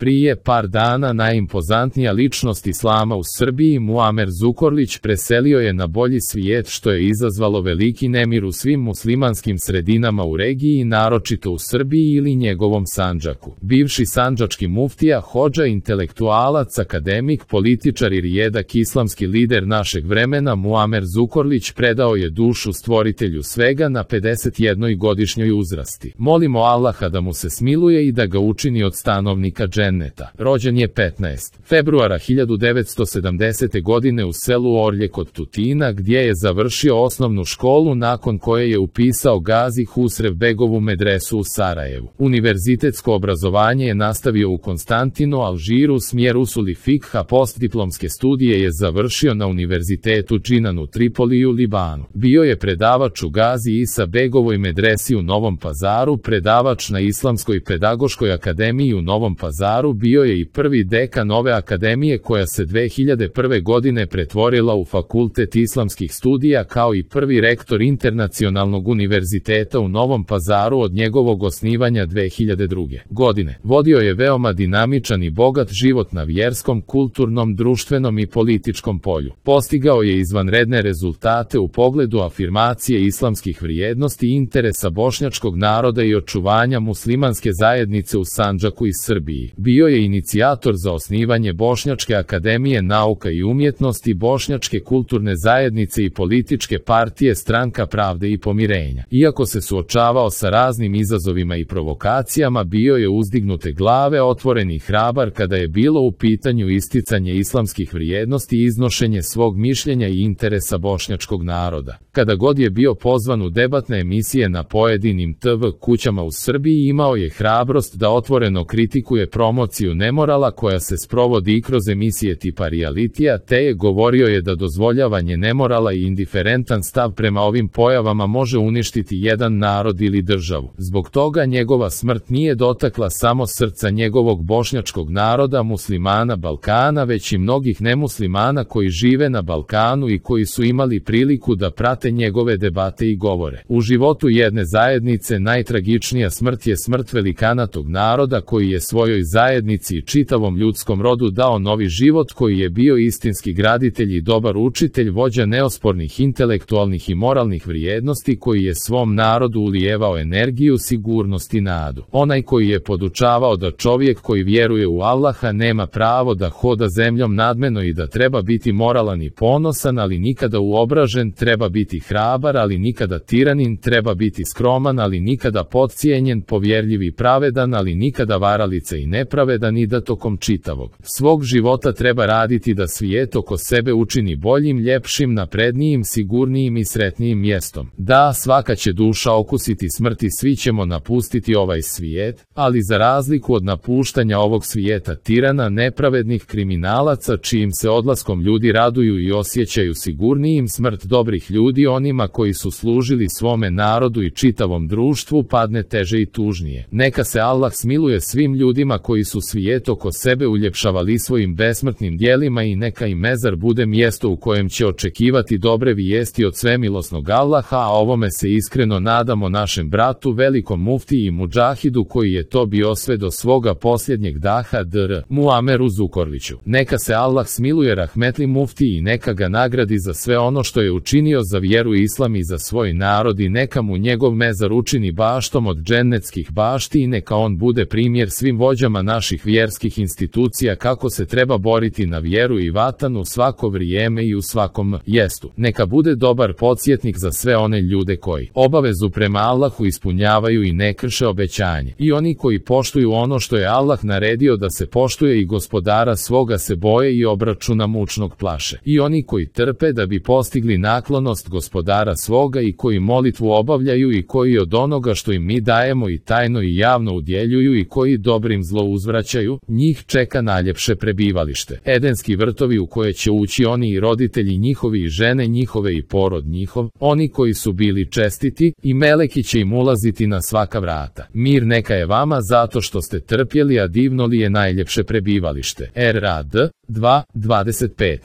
Prije par dana najimpozantnija ličnost islama u Srbiji, Muamer Zukorlić, preselio je na bolji svijet, što je izazvalo veliki nemir u svim muslimanskim sredinama u regiji, naročito u Srbiji ili njegovom Sandžaku. Bivši sandžački muftija, hodža, intelektualac, akademik, političar i rijedak islamski lider našeg vremena, Muamer Zukorlić predao je dušu stvoritelju svega na 51-godišnjoj uzrasti. Molimo Allaha da mu se smiluje i da ga učini od stanovnika dženneta. Rođen je 15. februara 1970. godine u selu Orlje kod Tutina, gdje je završio osnovnu školu, nakon koje je upisao Gazi Husrev Begovu medresu u Sarajevu. Univerzitetsko obrazovanje je nastavio u Konstantinu, Alžiru, smjer usuli fikha. Postdiplomske studije je završio na Univerzitetu Džinan u Tripoliju, Libanu. Bio je predavač u Gazi Isa Begovoj medresi u Novom Pazaru, predavač na Islamskoj pedagoškoj akademiji u Novom Pazaru, bio je i prvi dekan ove akademije koja se 2001. godine pretvorila u Fakultet islamskih studija, kao i prvi rektor Internacionalnog univerziteta u Novom Pazaru od njegovog osnivanja 2002. godine. Vodio je veoma dinamičan i bogat život na vjerskom, kulturnom, društvenom i političkom polju. Postigao je izvanredne rezultate u pogledu afirmacije islamskih vrijednosti i interesa bošnjačkog naroda i očuvanja muslimanske zajednice u Sandžaku i Srbiji. Bio je inicijator za osnivanje Bošnjačke akademije nauka i umjetnosti, Bošnjačke kulturne zajednice i političke partije Stranka pravde i pomirenja. Iako se suočavao sa raznim izazovima i provokacijama, bio je uzdignute glave, otvoren i hrabar kada je bilo u pitanju isticanje islamskih vrijednosti i iznošenje svog mišljenja i interesa bošnjačkog naroda. Kada god je bio pozvan u debatne emisije na pojedinim TV kućama u Srbiji, imao je hrabrost da otvoreno kritikuje promociju nemorala koja se sprovodi i kroz emisije tipa realitija, te je govorio je da dozvoljavanje nemorala i indiferentan stav prema ovim pojavama može uništiti jedan narod ili državu. Zbog toga njegova smrt nije dotakla samo srca njegovog bošnjačkog naroda, muslimana Balkana, već i mnogih nemuslimana koji žive na Balkanu i koji su imali priliku da prate njegove debate i govore. U životu jedne zajednice najtragičnija smrt je smrt velikana tog naroda koji je svojoj zajednici i čitavom ljudskom rodu dao novi život, koji je bio istinski graditelj i dobar učitelj, vođa neospornih intelektualnih i moralnih vrijednosti, koji je svom narodu ulijevao energiju, sigurnost i nadu. Onaj koji je podučavao da čovjek koji vjeruje u Allaha nema pravo da hoda zemljom nadmeno i da treba biti moralan i ponosan, ali nikada uobražen, treba biti hrabar, ali nikada tiranin, treba biti skroman, ali nikada podcijenjen, povjerljiv i pravedan, ali nikada varalica i nepravedan, i da tokom čitavog svog života treba raditi da svijet oko sebe učini boljim, ljepšim, naprednijim, sigurnijim i sretnijim mjestom. Da, svaka će duša okusiti smrt i svi ćemo napustiti ovaj svijet, ali za razliku od napuštanja ovog svijeta tirana, nepravednih kriminalaca čijim se odlaskom ljudi raduju i osjećaju sigurnijim, smrt dobrih ljudi, onima koji su služili svome narodu i čitavom društvu, padne teže i tužnije. Neka se Allah smiluje svim ljudima koji su svijet oko sebe uljepšavali svojim besmrtnim djelima i neka im mezar bude mjesto u kojem će očekivati dobre vijesti od svemilosnog Allaha, a ovome se iskreno nadamo našem bratu, velikom muftiji i mudžahidu koji je to bio sve do svoga posljednjeg daha, dr. Muameru Zukorliću. Neka se Allah smiluje rahmetli muftiji i neka ga nagradi za sve ono što je učinio za vjeru islam i za svoj narod, i neka mu njegov mezar učini baštom od džennetskih bašti, i neka on bude primjer svim vođama naših vjerskih institucija kako se treba boriti na vjeru i vatan u svako vrijeme i u svakom mjestu. Neka bude dobar podsjetnik za sve one ljude koji obavezu prema Allahu ispunjavaju i ne krše obećanje, i oni koji poštuju ono što je Allah naredio da se poštuje i gospodara svoga se boje i obračuna mučnog plaše, i oni koji trpe da bi postigli naklonost gospodara svoga, i koji molitvu obavljaju, i koji od onoga što im mi dajemo i tajno i javno udjeljuju, i koji dobrim zlo uzvraćaju, njih čeka najljepše prebivalište, edenski vrtovi u koje će ući oni i roditelji njihovi i žene njihove i porod njihov, oni koji su bili čestiti, i meleki će im ulaziti na svaka vrata. Mir neka je vama zato što ste trpjeli, a divno li je najljepše prebivalište. RAD 2:25.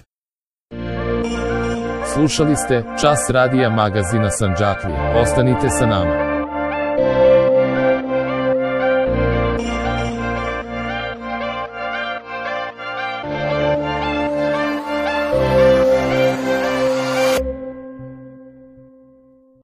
Slušali ste Čas radija magazina Sandžaklija. Ostanite sa nama. Hvala.